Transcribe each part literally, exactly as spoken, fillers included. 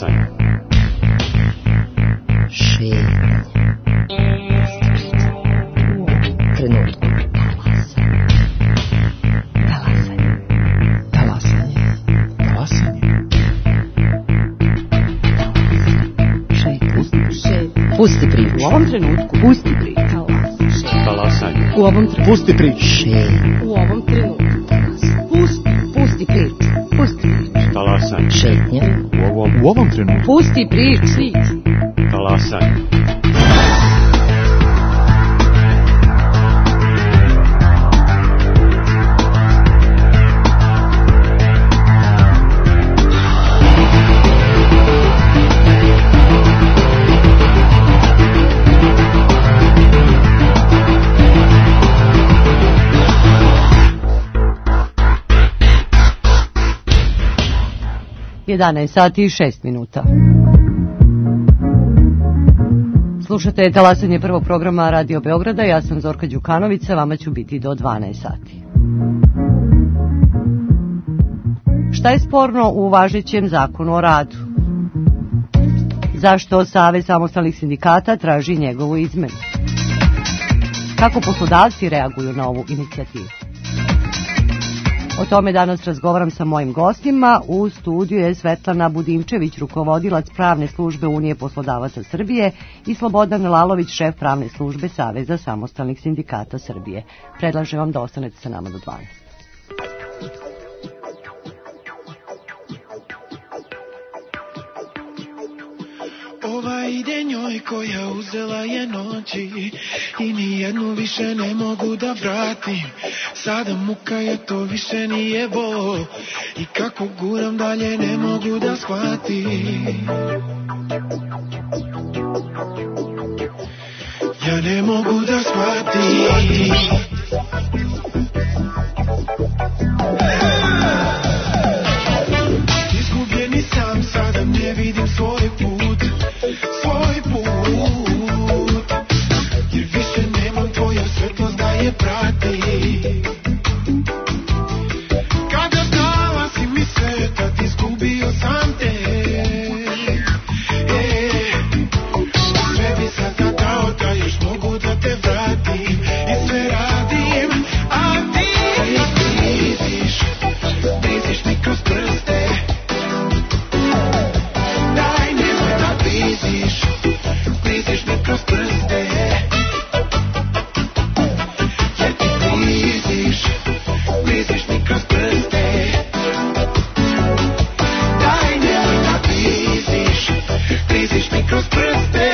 Talasanje. Šetnja. Trenutku. Talasanje. Talasanje. Talasanje. Šetnja. Šetnja. Pusti priču. U ovom trenutku. Pusti priču. Talasanje. U ovom trenutku. Pusti priču. Šetnja. U ovom trenutku. Pusti. Pusti priču. Pusti priču. Talasanje. Šetnja. U ovom, u ovom trenutku. Pusti priču. Talasanje. jedanaest sati i šest minuta. Slušate talasanje prvog programa Radio Beograda, ja sam Zorka Đukanovića, vama ću biti do dvanaest sati. Šta je sporno u važećem zakonu o radu? Zašto Savez samostalnih sindikata traži njegovu izmenu? Kako poslodavci reaguju na ovu inicijativu? O tome danas razgovaram sa mojim gostima. U studiju je Svetlana Budimčević, rukovodilac pravne službe Unije poslodavaca Srbije, i Slobodan Lalović, šef pravne službe Saveza samostalnih sindikata Srbije. Predlažem vam da ostanete sa nama do dvanaest. Ova ide njoj koja uzela je noći i nijednu više ne mogu da vratim. Sada muka je, to više nije bol i kako guram dalje ne mogu da shvatim. Ja ne mogu da shvatim. Izgubljeni sam, sada ne vidim svoj put, svoj put, jer više nemam tvoju svetlost da je prati. Kada dala si mi sve, tad izgubio sam te. E, sve bi sada dao da još mogu da te vratim i sve radim, a ti bliziš, bliziš mi kroz prste. Daj, nemoj da bliziš, bliziš mi kroz prste. Jer ti bliziš, bliziš mi kroz prste. Daj, nemoj da bliziš, bliziš mi kroz prste.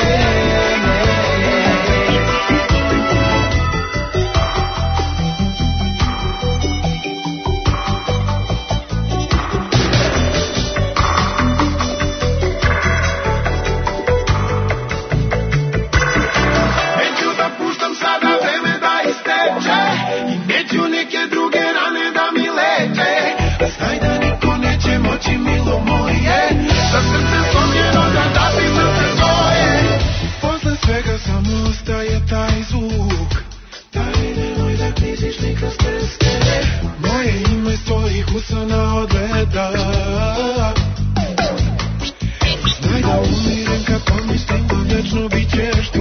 Neću da puštam sada vreme da isteče i neću neke druge rane da mi leče. Znaj da niko neće moći, milo moje, za srce slomljeno da dati srce svoje. Posle svega samo ostaje taj zvuk. Daj, nemoj da kliziš ni kroz prste. Moje ime s tvojih usana odgleda. Znaj da umirim kad pomislim da vječno bit ćeš tu.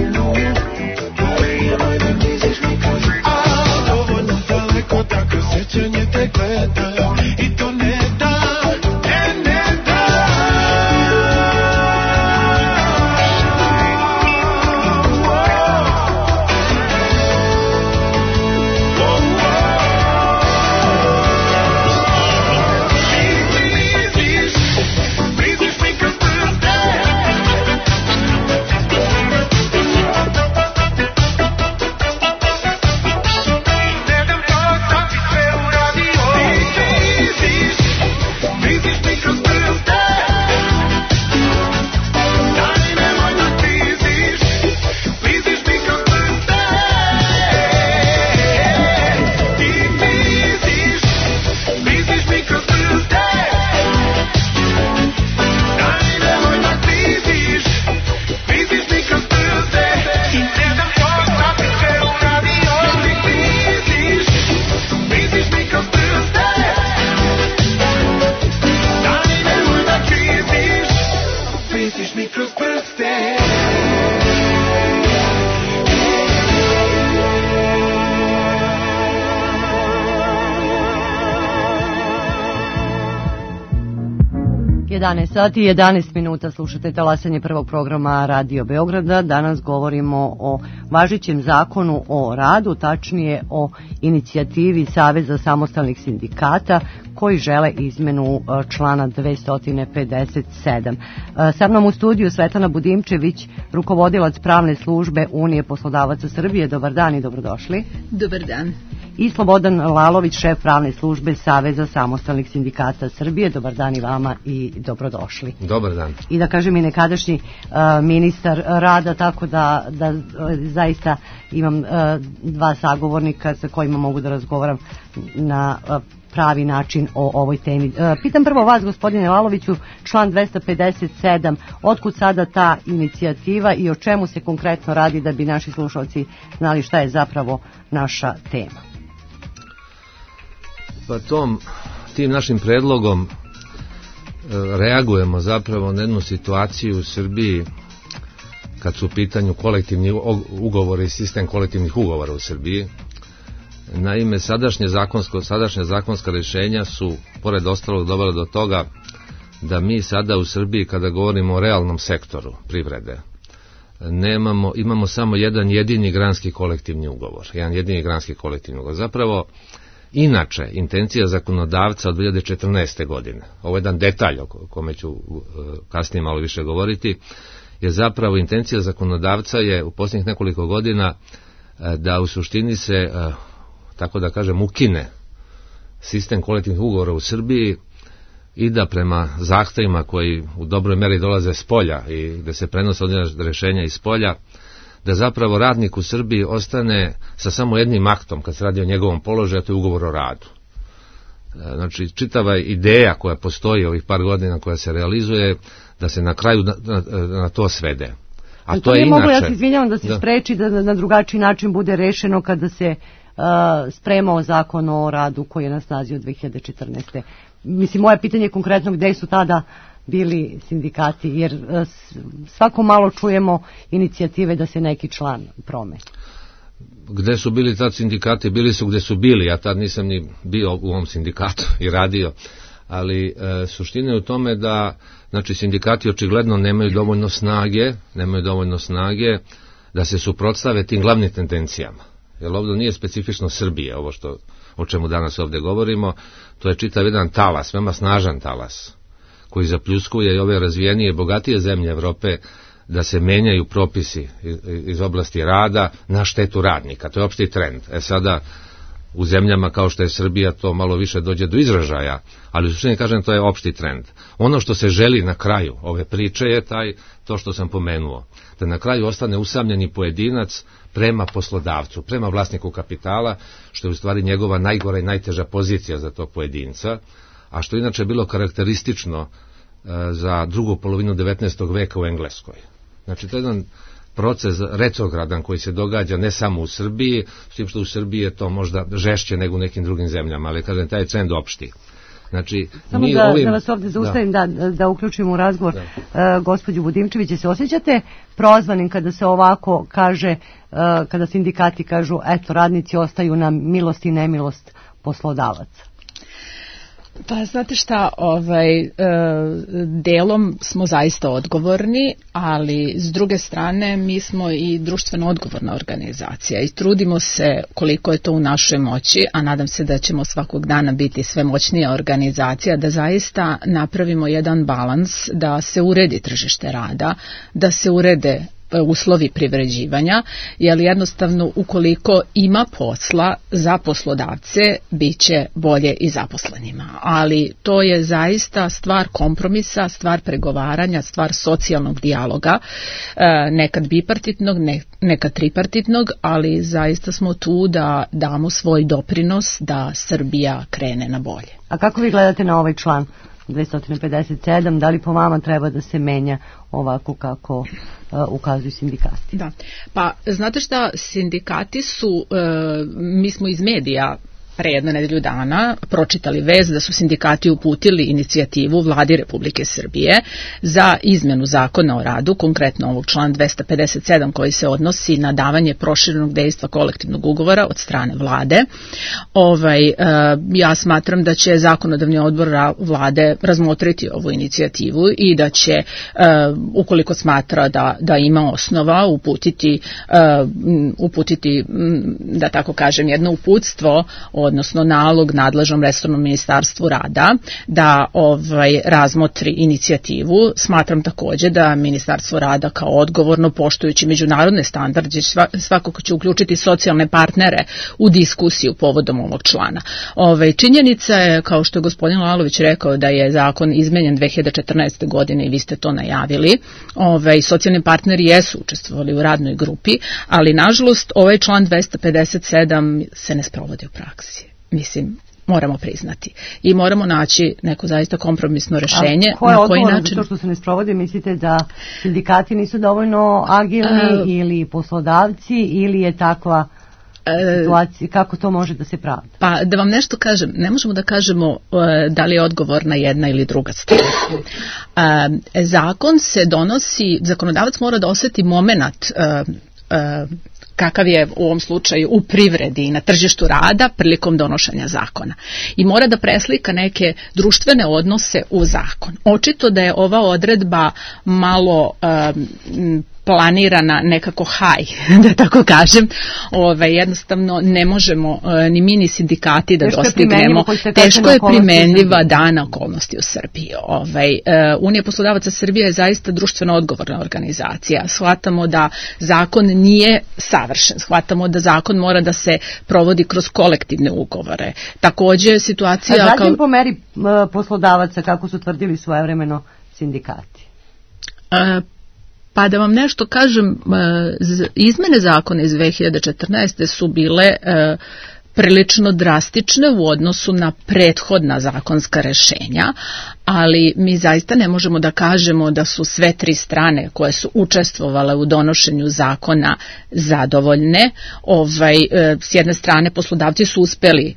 Daj, nemoj da kliziš ni kroz prste. A, dovoljno daleko da kroz sjećanje te gledam i to ne da, ne, ne da. Bliziš, bliziš mi kroz prste. Ne dam to, sam ti sve uradio. jedanaest sati i jedanaest minuta, slušate talasanje prvog programa Radio Beograda. Danas govorimo o važećem zakonu o radu, tačnije o inicijativi Saveza samostalnih sindikata koji žele izmenu člana dvesta pedeset sedam. Sa mnom u studiju Svetlana Budimčević, rukovodilac pravne službe Unije poslodavaca Srbije. Dobar dan i dobrodošli. Dobar dan. I Slobodan Lalović, šef pravne službe Saveza samostalnih sindikata Srbije. Dobar dan i vama i dobrodošli. Dobar dan. I da kažem i nekadašnji uh, ministar rada, tako da, da uh, zaista imam uh, dva sagovornika sa kojima mogu da razgovaram na uh, pravi način o ovoj temi. Uh, pitam prvo vas, gospodine Laloviću, član dvesta pedeset sedam, otkud sada ta inicijativa i o čemu se konkretno radi da bi naši slušalci znali šta je zapravo naša tema? Pa tom, tim našim predlogom reagujemo zapravo na jednu situaciju u Srbiji kad su u pitanju kolektivni ugovori i sistem kolektivnih ugovora u Srbiji. Naime, sadašnje zakonsko, sadašnje zakonska rješenja su, pored ostalog, dovela do toga da mi sada u Srbiji, kada govorimo o realnom sektoru privrede, nemamo, imamo samo jedan jedini granski kolektivni ugovor. Jedan jedini granski kolektivni ugovor. Zapravo, inače, intencija zakonodavca od dve hiljade četrnaeste. godine, ovo je jedan detalj o kome ću kasnije malo više govoriti, je zapravo intencija zakonodavca je u posljednjih nekoliko godina da u suštini se, tako da kažem, ukine sistem kolektivnih ugovora u Srbiji i da prema zahtevima koji u dobroj meri dolaze s polja i da se prenose određena rješenja iz polja, da zapravo radnik u Srbiji ostane sa samo jednim aktom kad se radi o njegovom položaju, a to je ugovor o radu. Znači, čitava ideja koja postoji ovih par godina koja se realizuje, da se na kraju na, na, na to svede. A to, to je inače... Mogu, ja se izvinjavam da se da. spreči da na drugačiji način bude rešeno kada se uh, spremao zakon o radu koji je na snazi od dve hiljade četrnaeste. Mislim, moje pitanje je konkretno gde su tada bili sindikati, jer svako malo čujemo inicijative da se neki član promeni. Gde su bili tad sindikati? Bili su gde su bili, ja tad nisam ni bio u ovom sindikatu i radio, ali e, suština je u tome da, znači, sindikati očigledno nemaju dovoljno snage, nemaju dovoljno snage da se suprotstave tim glavnim tendencijama. Jer ovdje nije specifično Srbije, ovo što, o čemu danas ovdje govorimo, to je čitav jedan talas, veoma snažan talas, koji zapljuskuje i ove razvijenije, bogatije zemlje Evrope da se menjaju propisi iz oblasti rada na štetu radnika. To je opšti trend. E sada, u zemljama kao što je Srbija to malo više dođe do izražaja, ali u suštini kažem to je opšti trend. Ono što se želi na kraju ove priče je taj, to što sam pomenuo, da na kraju ostane usamljeni pojedinac prema poslodavcu, prema vlasniku kapitala, što je u stvari njegova najgora i najteža pozicija za tog pojedinca, a što inače bilo karakteristično e, za drugu polovinu devetnaestog veka u Engleskoj. Znači, to je jedan proces retrogradan koji se događa ne samo u Srbiji, s tim što u Srbiji je to možda žešće nego u nekim drugim zemljama, ali kažem, taj trend opšti. Znači, samo mi da, ovim... da vas ovdje zaustavim, da, da, da uključimo u razgovor uh, gospođu Budimčević. Se osjećate prozvanim kada se ovako kaže, uh, kada sindikati kažu, eto, radnici ostaju na milost i nemilost poslodavaca? Pa znate šta, ovaj, e, delom smo zaista odgovorni, ali s druge strane mi smo i društveno odgovorna organizacija i trudimo se koliko je to u našoj moći, a nadam se da ćemo svakog dana biti sve moćnija organizacija, da zaista napravimo jedan balans, da se uredi tržište rada, da se urede uslovi privređivanja, jer jednostavno ukoliko ima posla za poslodavce, bit će bolje i zaposlenima. Ali to je zaista stvar kompromisa, stvar pregovaranja, stvar socijalnog dijaloga, nekad bipartitnog, nekad tripartitnog, ali zaista smo tu da damo svoj doprinos da Srbija krene na bolje. A kako vi gledate na ovaj član dvesta pedeset sedam, da li po vama treba da se menja ovako kako uh, ukazuju sindikati? Da, pa znate šta, sindikati su, uh, mi smo iz medija pre jedno nedelju dana pročitali vest da su sindikati uputili inicijativu Vladi Republike Srbije za izmenu zakona o radu, konkretno ovog člana dvesta pedeset sedam koji se odnosi na davanje proširenog dejstva kolektivnog ugovora od strane Vlade. Ovaj, ja smatram da će zakonodavni odbor Vlade razmotriti ovu inicijativu i da će, ukoliko smatra da, da ima osnova, uputiti, uputiti, da tako kažem, jedno uputstvo, odnosno nalog nadležnom resornom ministarstvu rada da ovaj razmotri inicijativu. Smatram takođe da Ministarstvo rada kao odgovorno, poštujući međunarodne standarde, svakako će uključiti socijalne partnere u diskusiju povodom ovog člana. Ovaj, činjenica je, kao što je gospodin Lalović rekao, da je zakon izmenjen dve hiljade četrnaeste. godine i vi ste to najavili. Ovaj, socijalni partneri jesu učestvovali u radnoj grupi, ali nažalost ovaj član dvesta pedeset sedam se ne sprovodi u praksi. Mislim, moramo priznati. I moramo naći neko zaista kompromisno rešenje. A ko je na koji odgovoran način... za to što se ne sprovodi? Mislite da sindikati nisu dovoljno agilni uh, ili poslodavci ili je takva situacija, kako to može da se pravda? Pa da vam nešto kažem, ne možemo da kažemo uh, da li je odgovorna jedna ili druga strana. Uh, zakon se donosi, zakonodavac mora da oseti moment uh, uh, kakav je u ovom slučaju u privredi i na tržištu rada prilikom donošenja zakona. I mora da preslika neke društvene odnose u zakon. Očito da je ova odredba malo um, planirana nekako haj, da tako kažem. Ove, jednostavno ne možemo uh, ni mi ni sindikati da teško dostignemo. Teško je primenljiva dana okolnosti u Srbiji. Ove, uh, Unija poslodavaca Srbije je zaista društveno odgovorna organizacija. Shvatamo da zakon nije savršen. Shvatamo da zakon mora da se provodi kroz kolektivne ugovore. Takođe situacija... A zatim kao... po meri uh, poslodavaca, kako su tvrdili svojevremeno sindikati? Uh, Pa da vam nešto kažem, izmene zakona iz dve hiljade četrnaeste. su bile prilično drastične u odnosu na prethodna zakonska rešenja, ali mi zaista ne možemo da kažemo da su sve tri strane koje su učestvovale u donošenju zakona zadovoljne. Ovaj, s jedne strane poslodavci su uspeli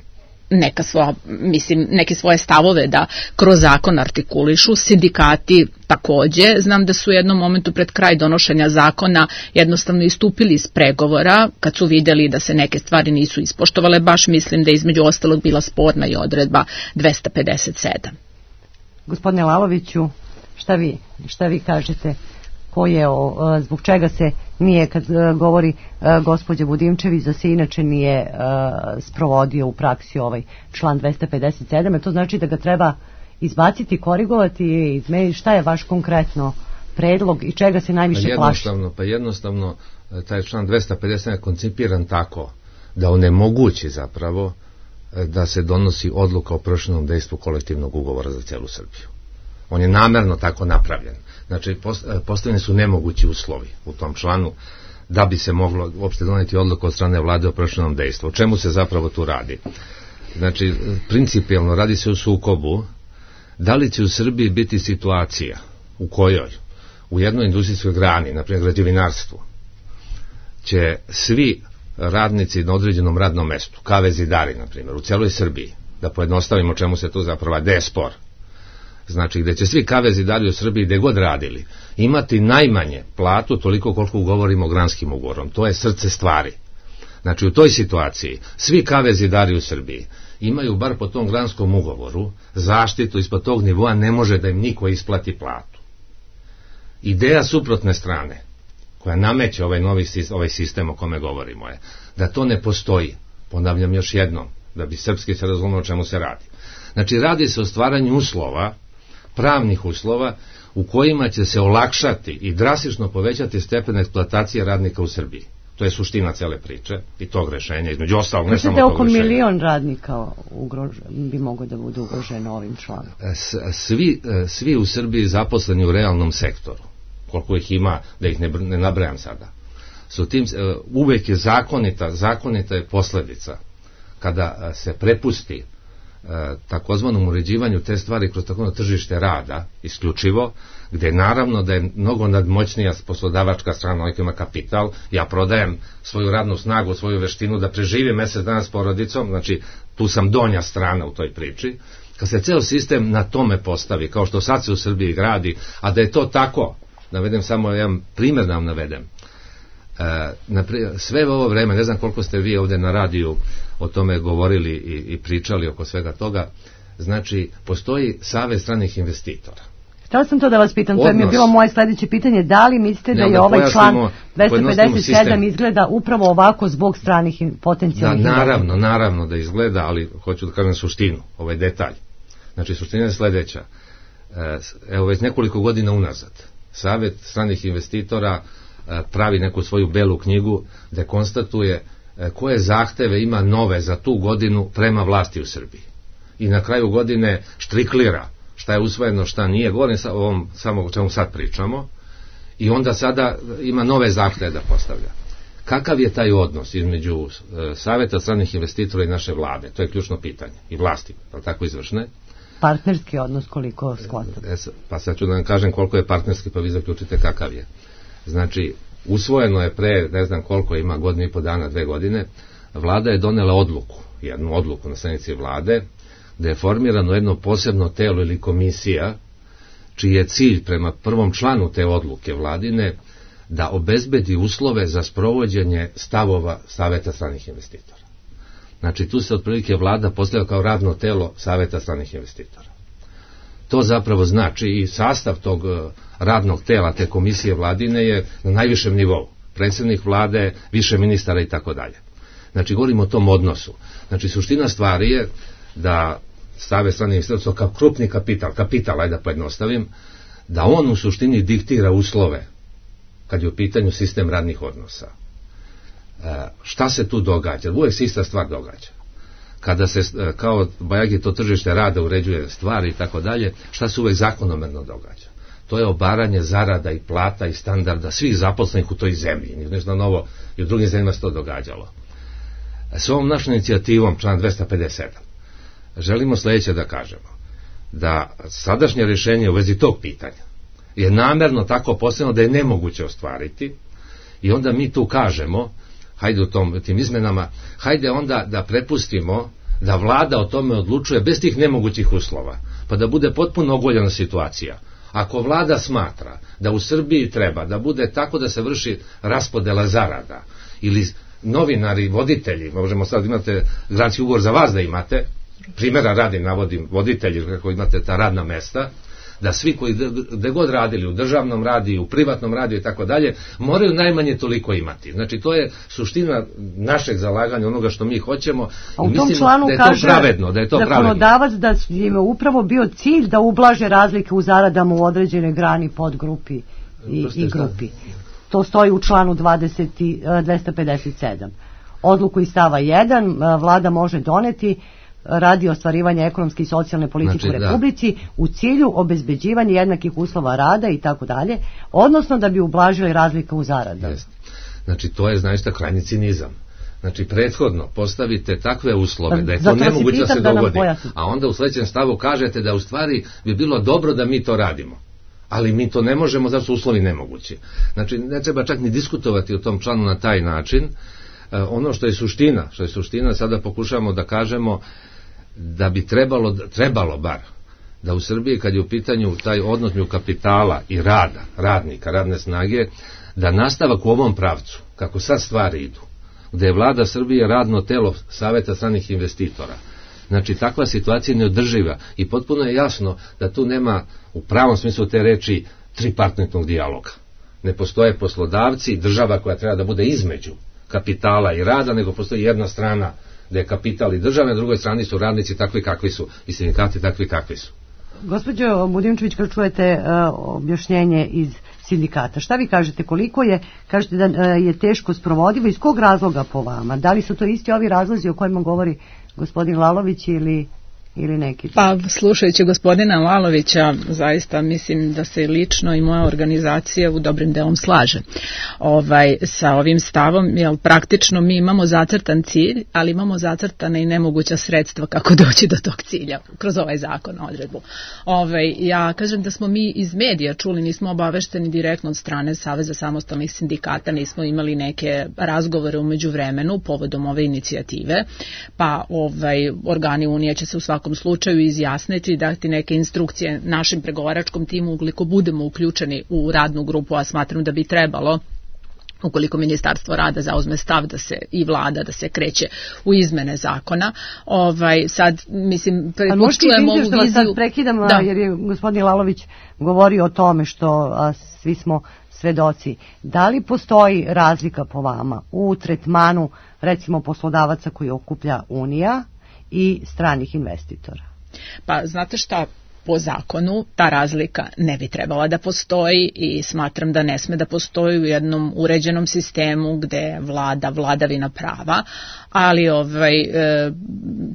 neka svoja, mislim, neke svoje stavove da kroz zakon artikulišu, sindikati takođe. Znam da su u jednom momentu pred kraj donošenja zakona jednostavno istupili iz pregovora kad su vidjeli da se neke stvari nisu ispoštovale. Baš mislim da je između ostalog bila sporna i odredba dvesta pedeset sedam. Gospodine Laloviću, šta vi, šta vi kažete? Ko je, o, zbog čega se nije, kad govori gospođa Budimčević, da se inače nije uh, sprovodio u praksi ovaj član dvesta pedeset sedam, to znači da ga treba izbaciti, korigovati, izmeniti. Šta je vaš konkretno predlog i čega se najviše pa plaši? Pa jednostavno, taj član dvesta pedeset sedam je koncipiran tako da onemogući zapravo da se donosi odluka o proširenom dejstvu kolektivnog ugovora za celu Srbiju. On je namerno tako napravljen. Znači, postavljeni su nemogući uslovi u tom članu da bi se moglo uopšte doneti odluku od strane vlade o proširenom dejstvu. O čemu se zapravo tu radi? Znači, principijelno radi se o sukobu da li će u Srbiji biti situacija u kojoj u jednoj industrijskoj grani, na primjer građevinarstvu, će svi radnici na određenom radnom mestu, ka ve zidari, na primjer, u cijeloj Srbiji, da pojednostavimo čemu se tu zapravo, gde je spor, znači gde će svi ka ve zidari u Srbiji gde god radili imati najmanje platu toliko koliko ugovorimo granskim ugovorom. To je srce stvari. Znači u toj situaciji svi ka ve zidari u Srbiji imaju bar po tom granskom ugovoru zaštitu ispod tog nivoa, ne može da im niko isplati platu. Ideja suprotne strane koja nameće ovaj novi ovaj sistem o kome govorimo je da to ne postoji. Ponavljam još jednom da bi srpski se razumio o čemu se radi. Znači radi se o stvaranju uslova, pravnih uslova u kojima će se olakšati i drastično povećati stepen eksploatacije radnika u Srbiji. To je suština cele priče i tog rešenja, između ostalog, ne samo tog oko rešenja. milion radnika ugrož, bi moglo da budu ugroženo ovim članom. Svi, svi u Srbiji zaposleni u realnom sektoru, koliko ih ima, da ih ne, ne nabrajam sada, su tim, uvek je zakonita, zakonita je posledica kada se prepusti takozvanom uređivanju te stvari kroz takozvano tržište rada isključivo, gde naravno da je mnogo nadmoćnija poslodavačka strana, onaj koji ima kapital, ja prodajem svoju radnu snagu, svoju veštinu da preživim mesec dana s porodicom, znači tu sam donja strana u toj priči. Kad se ceo sistem na tome postavi, kao što sad se u Srbiji gradi, a da je to tako, navedem samo jedan primjer da vam navedem, e, sve ovo vreme, ne znam koliko ste vi ovde na radiju o tome govorili i, i pričali oko svega toga, znači postoji Savez stranih investitora. Htela sam to da vas pitam, to je mi je bilo moje sledeće pitanje, da li mislite da je da ovaj član dvesta pedeset sedam sistem. Izgleda upravo ovako zbog stranih potencijalnih da, naravno, naravno da izgleda, ali hoću da kažem suštinu, ovaj detalj. Znači suština je sledeća, evo već nekoliko godina unazad Savet stranih investitora pravi neku svoju belu knjigu gde konstatuje koje zahteve ima nove za tu godinu prema vlasti u Srbiji. I na kraju godine štriklira šta je usvojeno, šta nije, govorim sa ovom, samo o čemu sad pričamo, i onda sada ima nove zahteve da postavlja. Kakav je taj odnos između Saveta stranih investitora i naše vlade? To je ključno pitanje. I vlasti, pa tako izvršne. Partnerski odnos koliko shvatam. E, pa sad ću da vam kažem koliko je partnerski, pa vi zaključite kakav je. Znači, usvojeno je pre, ne znam koliko ima, godinu i po dana, dve godine, vlada je donela odluku, jednu odluku na sednici vlade, da je formirano jedno posebno telo ili komisija, čiji je cilj prema prvom članu te odluke vladine da obezbedi uslove za sprovođenje stavova Saveta stranih investitora. Znači, tu se otprilike vlada postavlja kao radno telo Saveta stranih investitora. To zapravo znači i sastav tog radnog tela, te komisije vladine je na najvišem nivou. Predsjednik vlade, više ministara i tako dalje. Znači, govorimo o tom odnosu. Znači, suština stvari je da Savet stranih investitora kao krupni kapital, kapital, ajde da pojednostavim, da on u suštini diktira uslove kad je u pitanju sistem radnih odnosa. E, šta se tu događa? Uvijek se ista stvar događa. Kada se, kao bajagi to tržište rada uređuje stvari i tako dalje, šta se uvijek zakonomerno događa? To je obaranje zarada i plata i standarda svih zaposlenih u toj zemlji. Nešto novo i u drugim zemljama se to događalo. S ovom našom inicijativom, član dvesta pedeset sedam, želimo sledeće da kažemo, da sadašnje rješenje u vezi tog pitanja je namerno tako postavljeno da je nemoguće ostvariti, i onda mi tu kažemo, hajde u tom, tim izmenama, hajde onda da prepustimo da vlada o tome odlučuje bez tih nemogućih uslova, pa da bude potpuno ogoljena situacija. Ako vlada smatra da u Srbiji treba da bude tako da se vrši raspodela zarada, ili novinari, voditelji, možemo sad imate granski ugovor za vas da imate, primjera radi navodim voditelji, kako imate ta radna mesta, da svi koji gde god radili, u državnom radiju, u privatnom radiju i tako dalje, moraju najmanje toliko imati. Znači, to je suština našeg zalaganja, onoga što mi hoćemo, a u i tom mislimo članu da je to kaže pravedno, da je to zakonodavac da je upravo bio cilj da ublaže razlike u zaradama u određenoj grani, podgrupi i, i grupi. To stoji u članu dvadeset, dvesta pedeset sedam. Odluku iz stava jedan vlada može doneti radi ostvarivanja ekonomske i socijalne politike znači, u Republici da. U cilju obezbeđivanja jednakih uslova rada i tako dalje, odnosno da bi ublažili razlika u zaradama. Znači, to je zaista krajnji cinizam. Znači, prethodno postavite takve uslove da je to nemoguće da se dogodi, a onda u sledećem stavu kažete da u stvari bi bilo dobro da mi to radimo. Ali mi to ne možemo, zato su uslovi nemogući. Znači, ne treba čak ni diskutovati o tom članu na taj način. E, ono što je suština, što je suština, sada pokušamo da kažemo da bi trebalo, trebalo bar, da u Srbiji, kad je u pitanju taj odnos među kapitala i rada, radnika, radne snage, da nastavak u ovom pravcu, kako sad stvari idu, gde je vlada Srbije radno telo Saveta stranih investitora. Znači, takva situacija je neodrživa i potpuno je jasno da tu nema u pravom smislu te reči tripartitnog dijaloga. Ne postoje poslodavci, država koja treba da bude između kapitala i rada, nego postoji jedna strana da je kapital i država, na drugoj strani su radnici takvi kakvi su i sindikati takvi kakvi su. Gospođo Budimčević, kad čujete uh, objašnjenje iz sindikata, šta vi kažete, koliko je, kažete da uh, je teško sprovodivo, iz kog razloga po vama? Da li su to isti ovi razlozi o kojima govori gospodin Lalović ili ili neki? Pa slušajući gospodina Lalovića, zaista mislim da se lično i moja organizacija u dobrim delom slaže ovaj, sa ovim stavom, jer praktično mi imamo zacrtan cilj, ali imamo zacrtana i nemoguća sredstva kako doći do tog cilja kroz ovaj zakon, odredbu. Ovaj, ja kažem da smo mi iz medija čuli, nismo obavešteni direktno od strane Saveza samostalnih sindikata, nismo imali neke razgovore u međuvremenu povodom ove inicijative, pa ovaj, organi Unije će se u svakom slučaju izjasniti i dati neke instrukcije našem pregovaračkom timu ukoliko budemo uključeni u radnu grupu, a smatram da bi trebalo, ukoliko Ministarstvo rada zauzme stav da se i vlada da se kreće u izmene zakona. Ovaj sad mislim pretpostavljamo ovu viziju. Sad prekidam, da. Jer je gospodin Lalović govorio o tome što a, svi smo svedoci. Da li postoji razlika po vama u tretmanu recimo poslodavaca koji okuplja Unija i stranih investitora? Pa znate šta, po zakonu ta razlika ne bi trebala da postoji i smatram da ne sme da postoji u jednom uređenom sistemu gde vlada vladavina prava, ali ovaj,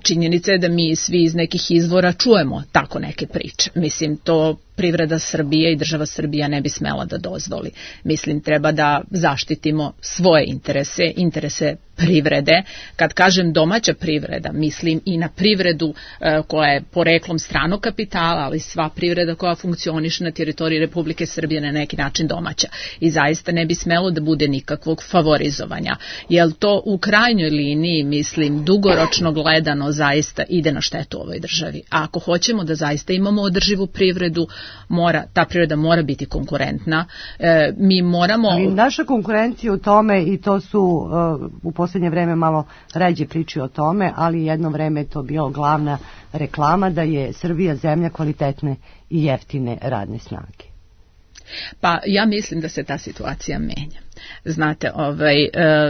činjenica je da mi svi iz nekih izvora čujemo tako neke priče. Mislim, to privreda Srbije i država Srbija ne bi smela da dozvoli. Mislim, treba da zaštitimo svoje interese, interese privrede. Kad kažem domaća privreda, mislim i na privredu e, koja je poreklom stranog kapitala, ali sva privreda koja funkcioniše na teritoriji Republike Srbije na neki način domaća. I zaista ne bi smelo da bude nikakvog favorizovanja. Jer to u krajnjoj liniji, mislim, dugoročno gledano zaista ide na štetu ovoj državi. A ako hoćemo da zaista imamo održivu privredu, mora, ta privreda mora biti konkurentna. E, mi moramo... Ali naša konkurencija u tome, i to su uh, u posljednje vreme malo ređe priči o tome, ali jedno vreme je to bilo glavna reklama da je Srbija zemlja kvalitetne i jeftine radne snage. Pa ja mislim da se ta situacija menja. Znate, ovaj,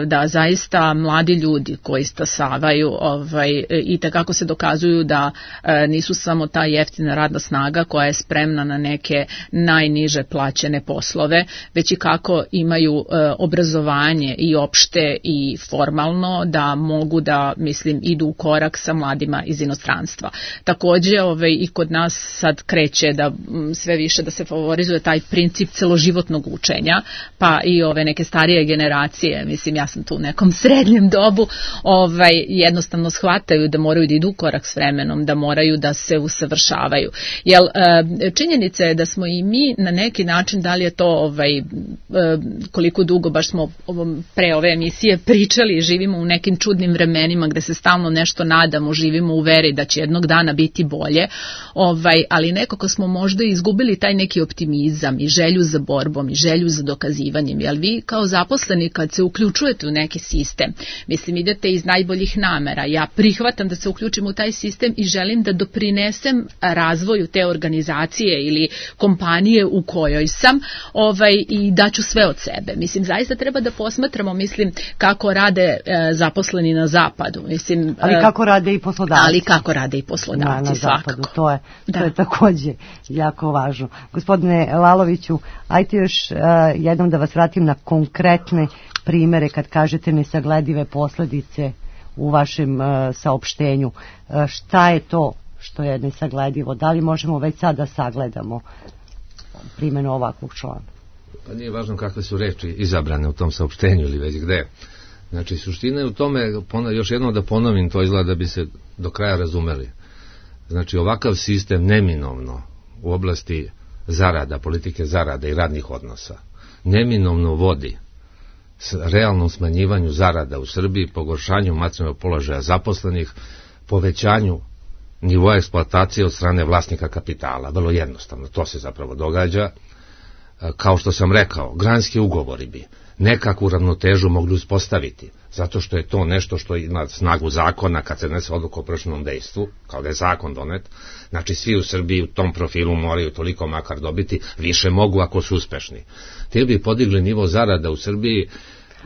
da zaista mladi ljudi koji stasavaju ovaj, i takako se dokazuju da nisu samo ta jeftina radna snaga koja je spremna na neke najniže plaćene poslove, već i kako imaju obrazovanje i opšte i formalno da mogu da, mislim, idu u korak sa mladima iz inostranstva. Takođe, ovaj, i kod nas sad kreće da sve više da se favorizuje taj princip celoživotnog učenja, pa i ove neke starije generacije, mislim ja sam tu u nekom srednjem dobu, ovaj, jednostavno shvataju da moraju da idu u korak s vremenom, da moraju da se usavršavaju. Jel, činjenica je da smo i mi na neki način, da li je to ovaj, koliko dugo baš smo pre ove emisije pričali, živimo u nekim čudnim vremenima gde se stalno nešto nadamo, živimo u veri da će jednog dana biti bolje, ovaj, ali nekako smo možda izgubili taj neki optimizam i želju za borbom i želju za dokazivanjem. Jel vi kao zaposleni kad se uključujete u neki sistem, mislim idete iz najboljih namera, ja prihvatam da se uključim u taj sistem i želim da doprinesem razvoju te organizacije ili kompanije u kojoj sam, ovaj, i daću sve od sebe. Mislim, zaista treba da posmatramo, mislim, kako rade e, zaposleni na zapadu. Mislim, ali kako rade i poslodavci. Ali kako rade i poslodavci, na, na svakako. Zapadu, to je, to je takođe jako važno. Gospodine Laloviću, ajte još uh, jednom da vas vratim na konkretne primere kad kažete nesagledive posledice u vašem uh, saopštenju. Uh, šta je to što je nesagledivo? Da li možemo već sad da sagledamo primjenu ovakvog člana? Pa nije važno kakve su reči izabrane u tom saopštenju ili već gde. Znači, suština je u tome, još jednom da ponovim, to izgleda da bi se do kraja razumeli. Znači, ovakav sistem neminovno u oblasti zarada, politike zarada i radnih odnosa, neminovno vodi s realnom smanjivanju zarada u Srbiji, pogoršanju materijalnog položaja zaposlenih, povećanju nivoa eksploatacije od strane vlasnika kapitala. Vrlo jednostavno, to se zapravo događa. Kao što sam rekao, granski ugovori bi nekakvu ravnotežu mogli uspostaviti, zato što je to nešto što ima snagu zakona kad se donese odluka o prešutnom dejstvu, kao da je zakon donet. Znači svi u Srbiji u tom profilu moraju toliko makar dobiti, više mogu ako su uspešni. Ti bi podigli nivo zarada u Srbiji,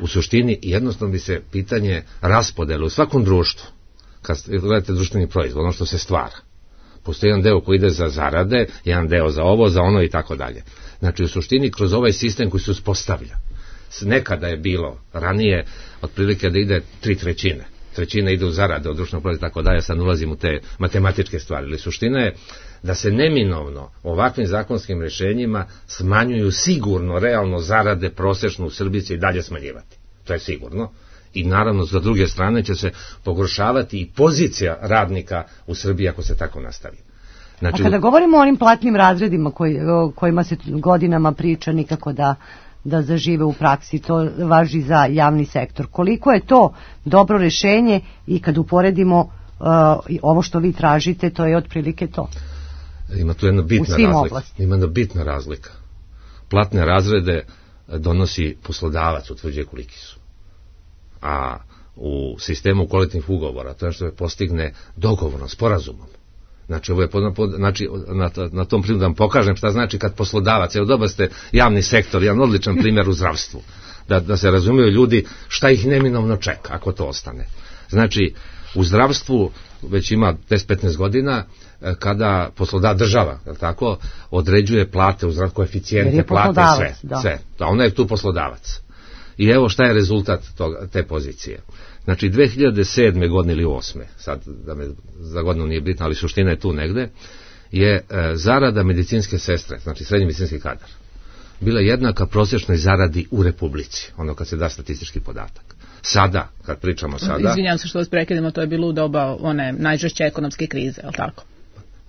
u suštini jednostavno bi se pitanje raspodele u svakom društvu, kad gledate društveni proizvod, ono što se stvara. Postoji jedan deo koji ide za zarade, jedan deo za ovo, za ono i tako dalje. Znači u suštini kroz ovaj sistem koji se uspostavlja, nekada je bilo ranije otprilike da ide tri trećine trećina ide u zarade od društvenog proizvoda i tako dalje, sad ulazim u te matematičke stvari, ali suština je da se neminovno ovakvim zakonskim rješenjima smanjuju sigurno realno zarade prosečno u Srbiji će i dalje smanjivati. To je sigurno. I naravno sa druge strane će se pogoršavati i pozicija radnika u Srbiji ako se tako nastavi. Znači, a kada govorimo o onim platnim razredima koji, o kojima se godinama priča nikako da, da zažive u praksi, to važi za javni sektor. Koliko je to dobro rješenje i kad uporedimo uh, ovo što vi tražite, to je otprilike to? Ima tu jedna bitna razlika. Oblasti. Ima jedna bitna razlika. Platne razrede donosi poslodavac, utvrđuje koliki su. A u sistemu kolektivnih ugovora to je što se postigne dogovorom, sporazumom. Znači, ovo je pod, pod, znači na, na tom primjeru da vam pokažem šta znači kad poslodavac, evo dobar ste javni sektor, jedan odličan primjer u zdravstvu, da, da se razumiju ljudi šta ih neminovno čeka ako to ostane. Znači, u zdravstvu već ima deset do petnaest godina kada poslodavac država, tako, određuje plate u zdravstvu, koeficijente, plate, sve, da. sve. Da, ona je tu poslodavac. I evo šta je rezultat toga, te pozicije. Znači, dve hiljade sedme godine ili osme, sad da me za godinu nije bitno, ali suština je tu negde, je e, zarada medicinske sestre, znači srednji medicinski kadar, bila jednaka prosječnoj zaradi u Republici, ono kad se da statistički podatak. Sada, kad pričamo sada... Izvinjam se što vas prekidamo, to je bilo u doba one najžešće ekonomske krize, je li tako?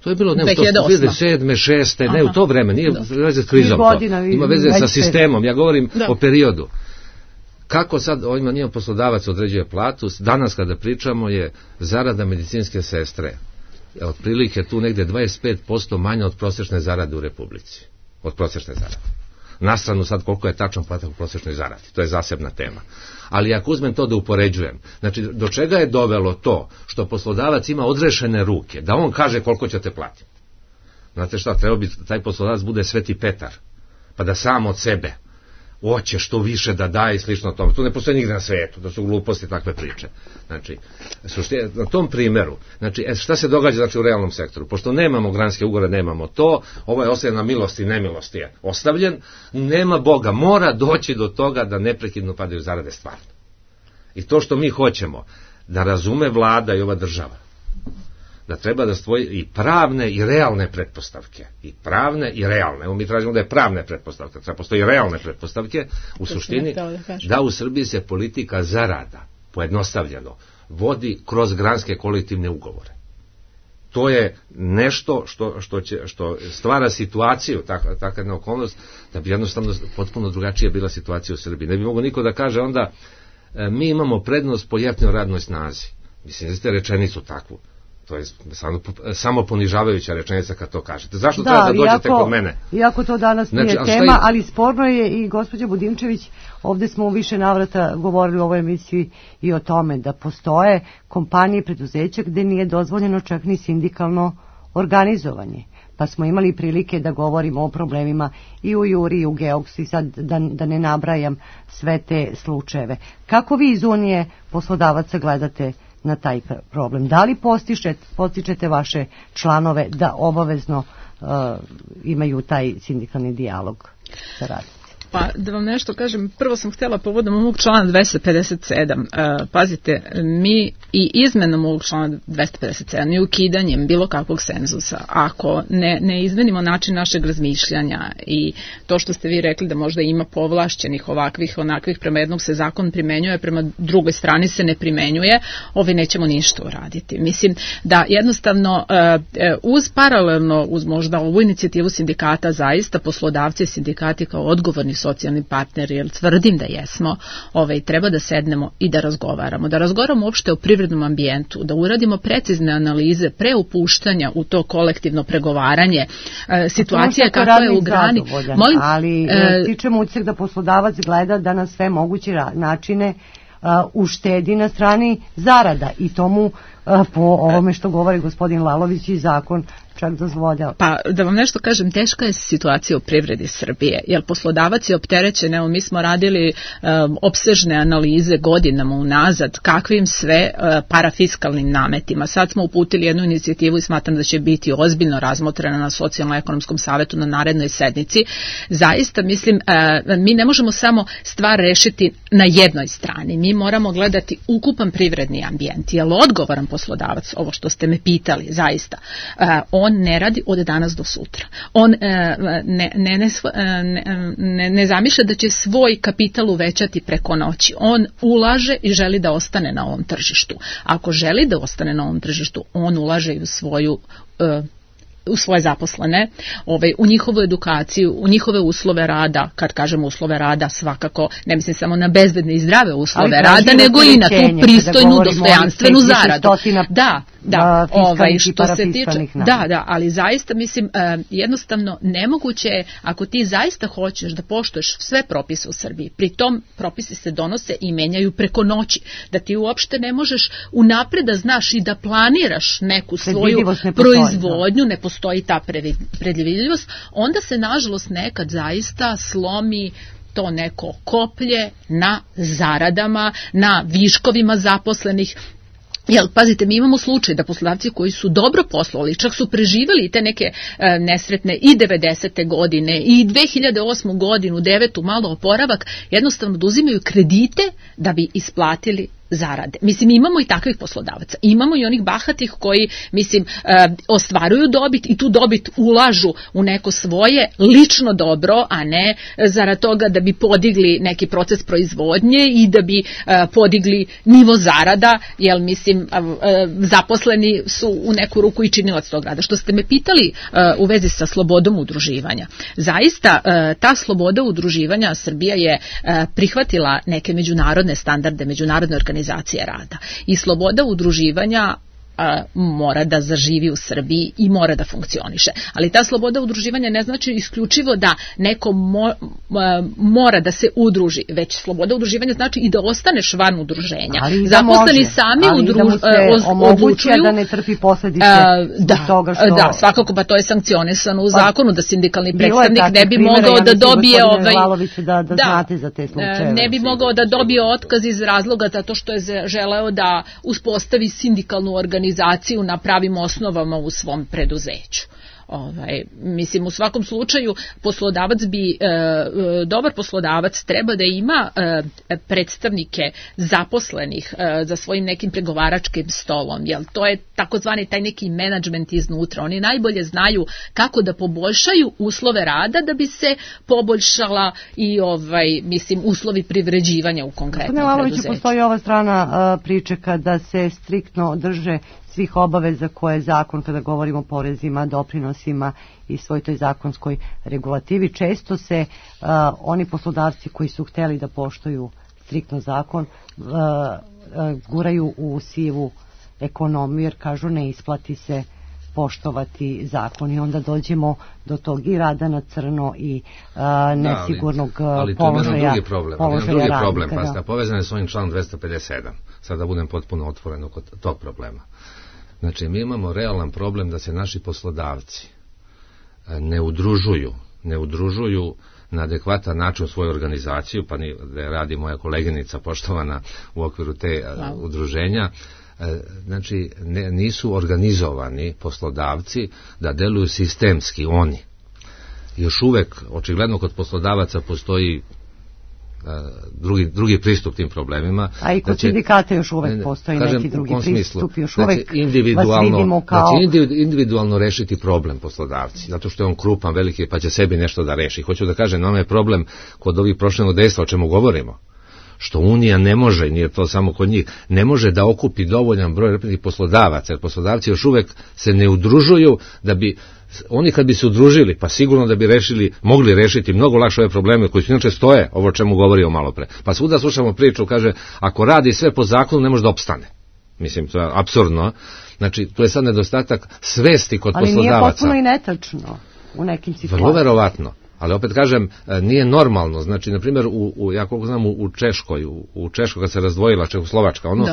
To je bilo ne u dve hiljade sedme, šeste, ne u to vreme, nije veze s krizom to, ima veze sa sistemom, ja govorim da. O periodu. Kako sad ovima njima poslodavac određuje platu, danas kada pričamo je zarada medicinske sestre, otprilike tu negde dvadeset pet posto manja od prosječne zarade u Republici, od prosječne zarade. Na stranu sad koliko je tačan podatak u prosječnoj zaradi, to je zasebna tema. Ali ako uzmem to da upoređujem, znači do čega je dovelo to što poslodavac ima odrešene ruke, da on kaže koliko ćete platiti. Znate šta, treba bi taj poslodavac bude Sveti Petar, pa da sam od sebe hoće što više da daje i slično tome. To ne postoji nigde na svijetu, da su gluposti takve priče. Znači, na tom primjeru, znači, šta se događa znači, u realnom sektoru? Pošto nemamo granske ugovore, nemamo to, ovo je ostavljen na milosti i nemilosti je ostavljen, nema Boga, mora doći do toga da neprekidno padaju zarade stvarno. I to što mi hoćemo, da razume vlada i ova država, da treba da stvoji i pravne i realne pretpostavke. I pravne i realne. Evo mi tražimo da je pravne pretpostavke, treba postoji realne pretpostavke u suštini da u Srbiji se politika zarada, pojednostavljeno, vodi kroz granske kolektivne ugovore. To je nešto što, što, će, što stvara situaciju, takva, takva jedna okolnost, da bi jednostavno potpuno drugačija bila situacija u Srbiji. Ne bi mogo niko da kaže onda mi imamo prednost po jeftinoj radnoj snazi. Mislim, da ste rečenicu takvu. To je samo, samo ponižavajuća rečenica kad to kažete. Zašto da, treba da dođete iako, kod mene? Iako to danas znači, nije tema, je... ali sporno je i gospođa Budimčević, ovdje smo u više navrata govorili u ovoj emisiji i o tome da postoje kompanije i preduzeća gdje nije dozvoljeno čak ni sindikalno organizovanje. Pa smo imali prilike da govorimo o problemima i u Juri i u Geoksu i sad da, da ne nabrajam sve te slučajeve. Kako vi iz Unije poslodavaca gledate na taj problem? Da li postičete, postičete vaše članove da obavezno uh, imaju taj sindikalni dijalog sa radnicima? Pa da vam nešto kažem, prvo sam htjela povodom ovog člana dvesta pedeset sedam. Uh, pazite, mi i izmenom ovog člana dvesta pedeset sedam i ukidanjem bilo kakvog cenzusa, ako ne, ne izmenimo način našeg razmišljanja i to što ste vi rekli da možda ima povlašćenih ovakvih, onakvih, prema jednog se zakon primenjuje, prema drugoj strani se ne primenjuje, ovi nećemo ništa uraditi. Mislim da jednostavno uh, uz paralelno, uz možda ovu inicijativu sindikata, zaista poslodavci i sindikati kao odgovorni socijalni partneri, jer tvrdim da jesmo, ovaj, treba da sednemo i da razgovaramo. Da razgovaramo uopšte o privrednom ambijentu, da uradimo precizne analize pre upuštanja u to kolektivno pregovaranje, e, situacija kakva je u grani. Molim, ali e, stičemo utisak da poslodavac gleda da na sve moguće načine uh, uštedi na strani zarada i tomu a, po ovome što govori gospodin Lalović i zakon čak dozvoljava. Pa da vam nešto kažem, teška je situacija u privredi Srbije, jer poslodavac je opterećen, evo mi smo radili um, opsežne analize godinama unazad, kakvim sve uh, parafiskalnim nametima. Sad smo uputili jednu inicijativu i smatram da će biti ozbiljno razmotrena na socijalno-ekonomskom savetu na narednoj sednici. Zaista mislim, uh, mi ne možemo samo stvar rešiti na jednoj strani, mi moramo gledati ukupan privredni ambijent. Je li odgovoran poslodavac, ovo što ste me pitali, zaista, uh, on ne radi od danas do sutra. On ne, ne, ne, ne, ne, ne zamišlja da će svoj kapital uvećati preko noći. On ulaže i želi da ostane na ovom tržištu. Ako želi da ostane na ovom tržištu, on ulaže i u svoju uh, u svoje zaposlene, ovaj, u njihovu edukaciju, u njihove uslove rada. Kad kažemo uslove rada, svakako ne mislim samo na bezbedne i zdrave uslove rada, nego i na tu pristojnu, dostojanstvenu zaradu. Da, da, ovaj, što se tiče, da, da, ali zaista mislim, jednostavno nemoguće je, ako ti zaista hoćeš da poštuješ sve propise u Srbiji, pri tom propisi se donose i menjaju preko noći, da ti uopšte ne možeš unapred da znaš i da planiraš neku svoju proizvodnju, ne postoji ta predvidljivost, onda se nažalost nekad zaista slomi to neko koplje na zaradama, na viškovima zaposlenih. Jel, pazite, mi imamo slučaj da poslodavci koji su dobro poslovali, čak su preživjeli te neke e, nesretne i devedesete godine i dve hiljade osme godinu, devetu malo oporavak, jednostavno da uzimaju kredite da bi isplatili zarade. Mislim, imamo i takvih poslodavaca. Imamo i onih bahatih koji, mislim, e, ostvaruju dobit i tu dobit ulažu u neko svoje lično dobro, a ne zarad toga da bi podigli neki proces proizvodnje i da bi e, podigli nivo zarada, jer mislim, e, zaposleni su u neku ruku i činilac tog rada. Što ste me pitali e, u vezi sa slobodom udruživanja. Zaista, e, ta sloboda udruživanja, Srbija je e, prihvatila neke međunarodne standarde, međunarodne organizacije rada. I sloboda udruživanja a, mora da zaživi u Srbiji i mora da funkcioniše. Ali ta sloboda udruživanja ne znači isključivo da neko mo, a, mora da se udruži, već sloboda udruživanja znači i da ostaneš van udruženja. Ali zaposleni može, sami ali udru, da mu se odlučuju da ne trpi posljedice da, toga što... Da, svakako, pa to je sankcionisano u zakonu, da sindikalni predstavnik ne bi mogao da dobije ovaj, da, da, znate za te slučajeve. Ne bi mogao da dobije otkaz iz razloga zato što je želeo da uspostavi sindikalnu organizaciju na pravim osnovama u svom preduzeću. Ovaj, mislim, u svakom slučaju poslodavac bi, e, dobar poslodavac treba da ima e, predstavnike zaposlenih e, za svojim nekim pregovaračkim stolom, jer to je takozvani taj neki menadžment iznutra. Oni najbolje znaju kako da poboljšaju uslove rada da bi se poboljšala i ovaj, mislim, uslovi privređivanja u konkretnom preduzeću. Postoji ova strana a, priče kada se striktno drže svih obaveza koje je zakon, kada govorimo o porezima, doprinosima i svoj toj zakonskoj regulativi. Često se uh, oni poslodavci koji su hteli da poštuju striktno zakon uh, uh, guraju u sivu ekonomiju, jer kažu ne isplati se poštovati zakon i onda dođemo do tog i rada na crno i uh, nesigurnog da, ali, ali položaja. Ali to je drugi problem. Položaja drugi radnika, problem, pa ste povezane s ovim članom dvesta pedeset sedam. Sad da budem potpuno otvoren oko tog problema. Znači, mi imamo realan problem da se naši poslodavci ne udružuju, ne udružuju na adekvatan način u svoju organizaciju, pa ni da radi moja koleginica poštovana u okviru te wow. udruženja. Znači, ne, nisu organizovani poslodavci da deluju sistemski oni. Još uvek, očigledno kod poslodavaca postoji Drugi, drugi pristup tim problemima. A i kod znači, sindikata još uvek postoji kažem, neki drugi pristup, još znači, uvek individualno, kao... znači individualno rešiti problem poslodavci, zato što je on krupan, veliki, pa će sebi nešto da reši. Hoću da kažem, nam je problem kod ovih prošlenog dejstva, o čemu govorimo, što Unija ne može, nije to samo kod njih, ne može da okupi dovoljan broj reprezentativnih poslodavaca, jer poslodavci još uvek se ne udružuju da bi oni kad bi se udružili, pa sigurno da bi rešili, mogli rešiti mnogo lakše ove probleme koji su inače stoje, ovo o čemu govorio malo pre. Pa svuda slušamo priču, kaže, ako radi sve po zakonu, ne može da opstane. Mislim, to je apsurdno. Znači, to je sad nedostatak svesti kod ali poslodavaca. Ali nije potpuno i netačno u nekim situacijama. Vrlo verovatno. Ali opet kažem, nije normalno. Znači, na primjer, u, u, ja koliko znam, u Češkoj, u, u Češkoj kad se razdvojila Čehoslovačka, ono,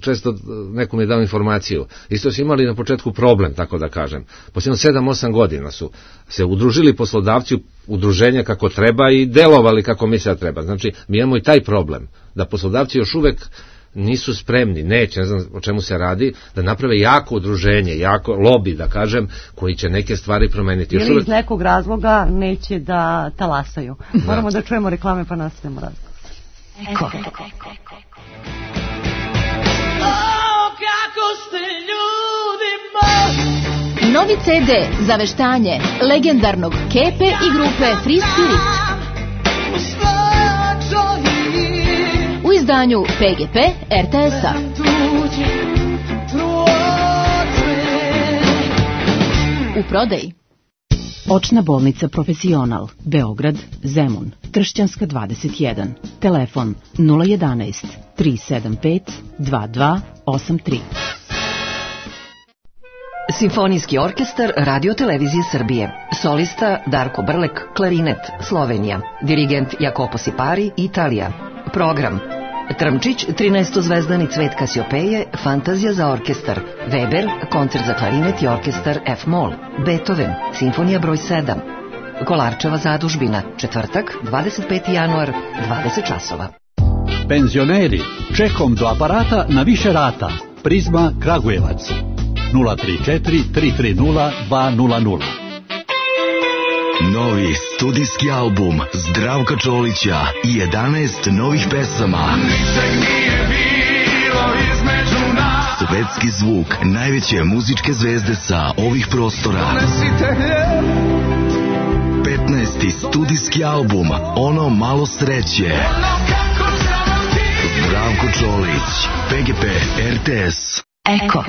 često neko mi je dao informaciju, isto su imali na početku problem, tako da kažem. Posljedno sedam osam godina su se udružili poslodavci u udruženja kako treba i delovali kako misle da treba. Znači, mi imamo i taj problem, da poslodavci još uvek nisu spremni, neće, ne znam o čemu se radi, da naprave jako udruženje, jako lobby, da kažem, koji će neke stvari promeniti. Ili uvek iz nekog razloga neće da talasaju. Moramo da, da čujemo reklame pa nastavimo razgovor. Eko. O, kako ste ljudi moji! Novi ce de za veštanje legendarnog Kepe i grupe Free Spirit. U izdanju pe ge pe er te es-a. U prodaji. Očna bolnica Profesional, Beograd, Zemun, Kršćanska dvadeset jedan. Telefon nula jedanaest tri sedam pet dva dva osam tri. Simfonijski orkestar Radio Televizije Srbije. Solista Darko Brlek, klarinet, Slovenija. Dirigent Jacopo Sipari, Italija. Program: Trmčić, trinaestozvezdani cvet Kasiopeje, Fantazija za orkestar, Weber, koncert za klarinet i orkestar F-mol, Beethoven, Simfonija broj sedam, Kolarčeva zadužbina, četvrtak, dvadeset peti januar, dvadeset časova. Penzioneri, čekom do aparata na više rata. Prizma Kragujevac, nula tri četiri tri tri nula dva nula nula. Novi studijski album Zdravka Čolića i jedanaest novih pesama. Ničeg nije bilo između nas. Svetski zvuk najveće muzičke zvezde sa ovih prostora. petnaesti studijski album Ono malo sreće. Zdravko Čolić, pe ge pe er te es. Eko.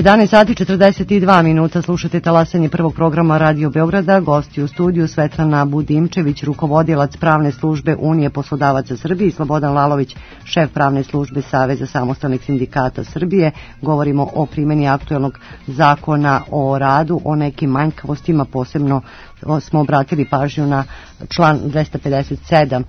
jedanaest sati četrdeset dva minuta, slušate talasanje prvog programa Radio Beograda. Gosti u studiju Svetlana Budimčević, rukovodilac pravne službe Unije poslodavaca Srbije, i Slobodan Lalović, šef pravne službe Saveza samostalnih sindikata Srbije. Govorimo o primjeni aktuelnog zakona o radu, o nekim manjkavostima, posebno smo obratili pažnju na član dvesta pedeset sedam,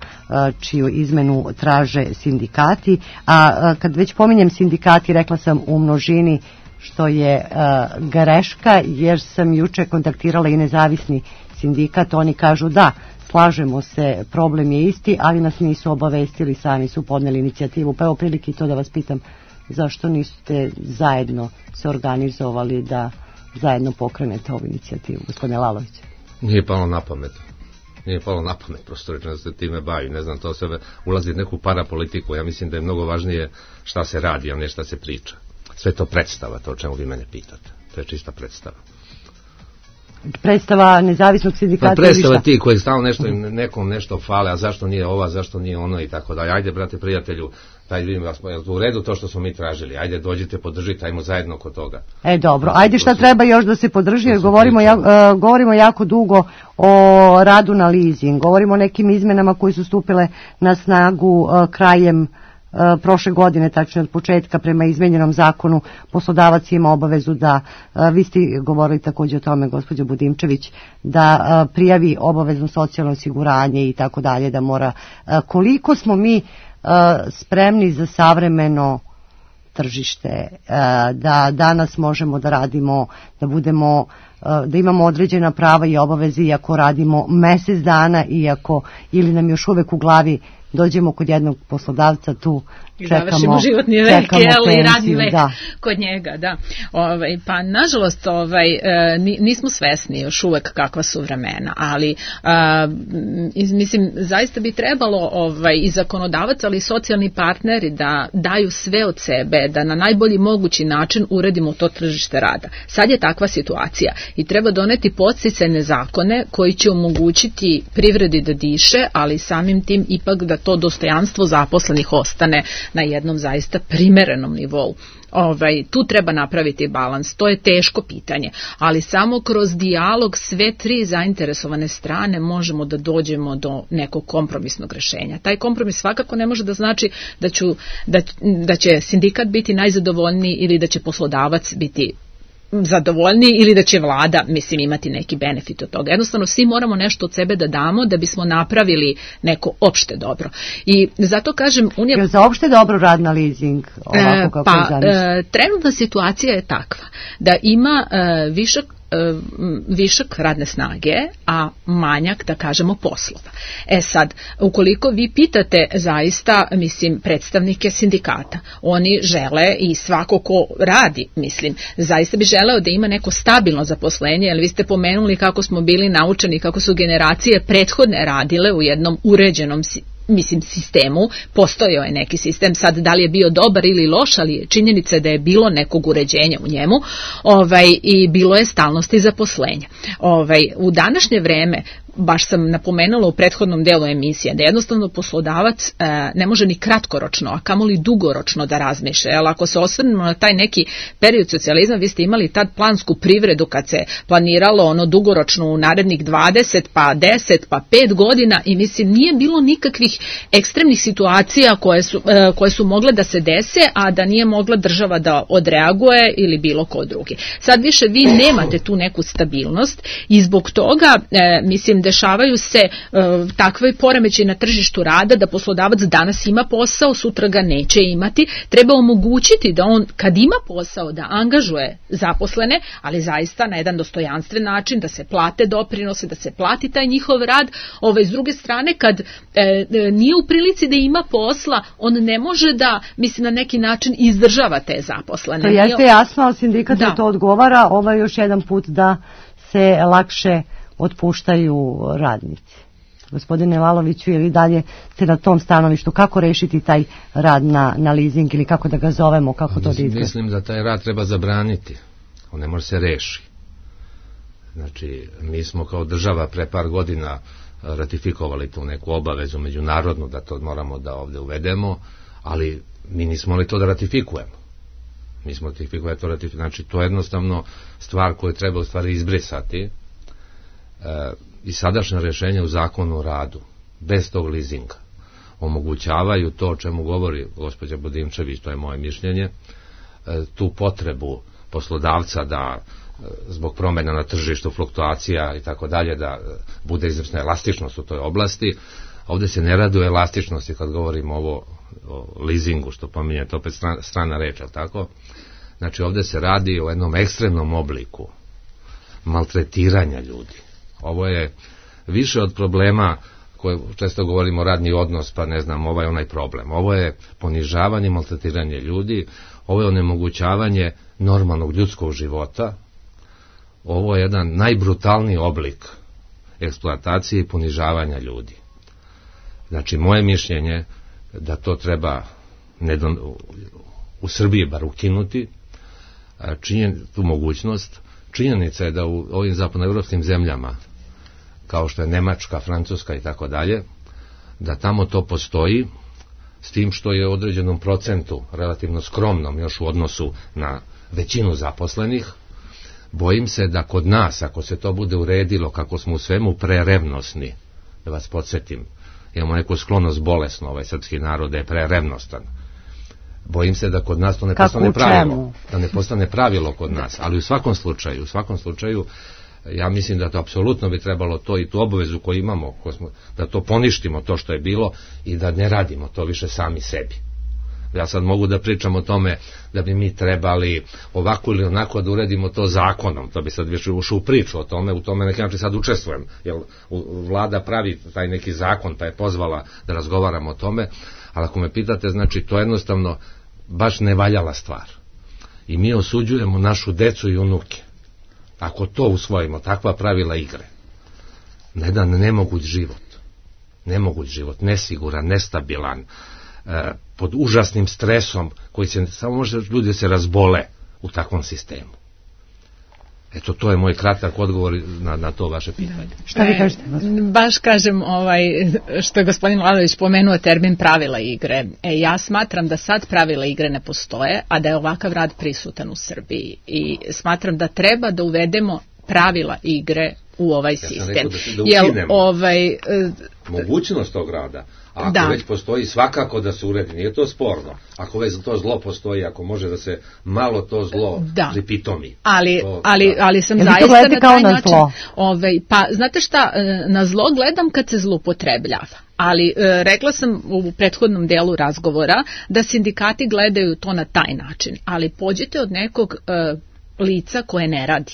čiju izmenu traže sindikati. A kad već pominjem sindikati, rekla sam u množini, što je uh, greška, jer sam juče kontaktirala i nezavisni sindikat. Oni kažu da, slažemo se, problem je isti, ali nas nisu obavestili, sami su podneli inicijativu. Pa evo prilike to da vas pitam, zašto niste zajedno se organizovali da zajedno pokrenete ovu inicijativu, gospodine Lalović? Nije palo na pamet. Nije palo na pamet, prosto rečeno da se time bavi. Ne znam, to sve ulazi u neku parapolitiku. Ja mislim da je mnogo važnije šta se radi, a ne šta se priča. Sve to predstava, to o čemu vi mene pitate. To je čista predstava. Predstava nezavisnog sindikata. Pa predstava ti koji stalno nešto, nekom nešto fale, a zašto nije ova, zašto nije ono i tako dalje. Ajde, brate, prijatelju, taj vidim vas, je u redu to što smo mi tražili. Ajde, dođite, podržite, ajmo zajedno kod toga. E, dobro. Ajde, šta treba još da se podrži, jer govorimo, ja, uh, govorimo jako dugo o radu na leasing. Govorimo o nekim izmenama koji su stupile na snagu uh, krajem prošle godine, tačno od početka. Prema izmenjenom zakonu poslodavac ima obavezu da, vi ste govorili također o tome, gospođo Budimčević, da prijavi obavezno socijalno osiguranje i tako dalje, da mora. Koliko smo mi spremni za savremeno tržište, da danas možemo da radimo, da budemo, da imamo određena prava i obaveze iako radimo mesec dana, iako ili nam još uvek u glavi dođemo kod jednog poslodavca, tu čekamo, životni vek, čekamo jel, i radni vek da. Kod njega, da. Ovaj, pa nažalost ovaj, nismo svesni još uvek kakva su vremena, ali a, mislim, zaista bi trebalo ovaj, i zakonodavac, ali i socijalni partneri da daju sve od sebe, da na najbolji mogući način uredimo to tržište rada. Sad je takva situacija i treba doneti podsticajne zakone koji će omogućiti privredi da diše, ali samim tim ipak da to dostojanstvo zaposlenih ostane na jednom zaista primerenom nivou. Ovaj, tu treba napraviti balans, to je teško pitanje, ali samo kroz dijalog sve tri zainteresovane strane možemo da dođemo do nekog kompromisnog rešenja. Taj kompromis svakako ne može da znači da, ću, da, da će sindikat biti najzadovoljniji ili da će poslodavac biti zadovoljni ili da će vlada, mislim, imati neki benefit od toga. Jednostavno svi moramo nešto od sebe da damo da bismo napravili neko opšte dobro. I zato kažem... Unija... Je za opšte dobro rad na leasing? Ovako kako pa, e, trenutna situacija je takva da ima e, višak višak radne snage, a manjak, da kažemo, poslova. E sad, ukoliko vi pitate zaista, mislim, predstavnike sindikata, oni žele i svako ko radi, mislim, zaista bi želeo da ima neko stabilno zaposlenje, jer vi ste pomenuli kako smo bili naučeni, kako su generacije prethodne radile u jednom uređenom mislim sistemu, postojao je neki sistem, sad da li je bio dobar ili loš, ali činjenica je da je bilo nekog uređenja u njemu, ovaj, i bilo je stalnosti zaposlenja. Ovaj, u današnje vreme, baš sam napomenula u prethodnom delu emisije, da jednostavno poslodavac e, ne može ni kratkoročno, a kamoli dugoročno da razmišlja. Jel, ako se osvrnemo na taj neki period socijalizma, vi ste imali tad plansku privredu kad se planiralo ono dugoročno u narednih dvadeset, pa deset, pa pet godina i mislim nije bilo nikakvih ekstremnih situacija koje su, e, koje su mogle da se dese, a da nije mogla država da odreaguje ili bilo ko drugi. Sad više vi nemate tu neku stabilnost i zbog toga, e, mislim, dešavaju se e, takve poremećaji na tržištu rada da poslodavac danas ima posao, sutra ga neće imati. Treba omogućiti da on kad ima posao da angažuje zaposlene, ali zaista na jedan dostojanstven način, da se plate doprinose, da se plati taj njihov rad. Ove, s druge strane, kad e, e, nije u prilici da ima posla, on ne može da, mislim, na neki način izdržava te zaposlene. To jeste jasno, ali sindikat da. to odgovara. Ovo je još jedan put da se lakše otpuštaju radnici. Gospodine Laloviću, ili dalje ste na tom stanovištu, kako rešiti taj rad na, na leasing ili kako da ga zovemo, kako to da izgleda? Mislim da taj rad treba zabraniti. On ne može se reši. Znači, mi smo kao država pre par godina ratifikovali tu neku obavezu međunarodnu da to moramo da ovde uvedemo, ali mi nismo li to da ratifikujemo. Mi smo ratifikovali to ratifikujemo. Znači, to je jednostavno stvar koju treba u stvari izbrisati. E, i sadašnje rješenje u zakonu o radu bez tog leasinga omogućavaju to o čemu govori gospođa Budimčević, to je moje mišljenje, e, tu potrebu poslodavca da e, zbog promjena na tržištu, fluktuacija i tako dalje, da e, bude izvršna elastičnost u toj oblasti. Ovdje se ne radi o elastičnosti kad govorimo ovo o leasingu, što pominjete opet strana, strana reč, tako? Znači ovdje se radi o jednom ekstremnom obliku maltretiranja ljudi. Ovo je više od problema koje često govorimo radni odnos, pa ne znam, ovaj onaj problem. Ovo je ponižavanje, maltretiranje ljudi, ovo je onemogućavanje normalnog ljudskog života, ovo je jedan najbrutalniji oblik eksploatacije i ponižavanja ljudi. Znači, moje mišljenje da to treba nedon, u Srbiji bar ukinuti, činjen, tu mogućnost. Činjenica je da u ovim zapadnoevropskim zemljama, kao što je Nemačka, Francuska i tako dalje, da tamo to postoji, s tim što je u određenom procentu, relativno skromnom još u odnosu na većinu zaposlenih. Bojim se da kod nas, ako se to bude uredilo, kako smo u svemu prerevnosni, da vas podsjetim, imamo neku sklonost bolesno, ovaj srpski narod da je prerevnostan. Bojim se da kod nas to ne kako postane pravilo, da ne postane pravilo kod nas, ali u svakom slučaju, u svakom slučaju, ja mislim da to apsolutno bi trebalo to i tu obavezu koju imamo, koju smo, da to poništimo, to što je bilo i da ne radimo to više sami sebi. Ja sad mogu da pričam o tome da bi mi trebali ovako ili onako da uredimo to zakonom, to bi sad više ušao u priču o tome, u tome neki način sad učestvujem, jer vlada pravi taj neki zakon pa je pozvala da razgovaramo o tome, ali ako me pitate, znači to jednostavno baš ne valjala stvar. I mi osuđujemo našu decu i unuke. Ako to usvojimo, takva pravila igre, na jedan nemoguć život, nemoguć život, nesiguran, nestabilan, e, pod užasnim stresom, koji se, samo može ljudi se razbole u takvom sistemu. Eto, to je moj kratak odgovor na, na to vaše pitanje. Šta vi kažete? E, baš kažem, ovaj, što je gospodin Lalović pomenuo termin pravila igre. E, ja smatram da sad pravila igre ne postoje, a da je ovakav rad prisutan u Srbiji. I smatram da treba da uvedemo pravila igre u ovaj sistem. Ja sam rekao da, da Jel, ovaj, e, mogućnost tog rada. A ako da. već postoji, svakako da se uredi, nije to sporno. Ako već to zlo postoji, ako može da se malo to zlo da. pripitomi. Ali, to, ali, da. ali sam Jel zaista na taj na način... Ovaj, pa, znate šta, na zlo gledam kad se zloupotrebljava. Ali e, rekla sam u prethodnom delu razgovora da sindikati gledaju to na taj način. Ali pođite od nekog e, lica koje ne radi.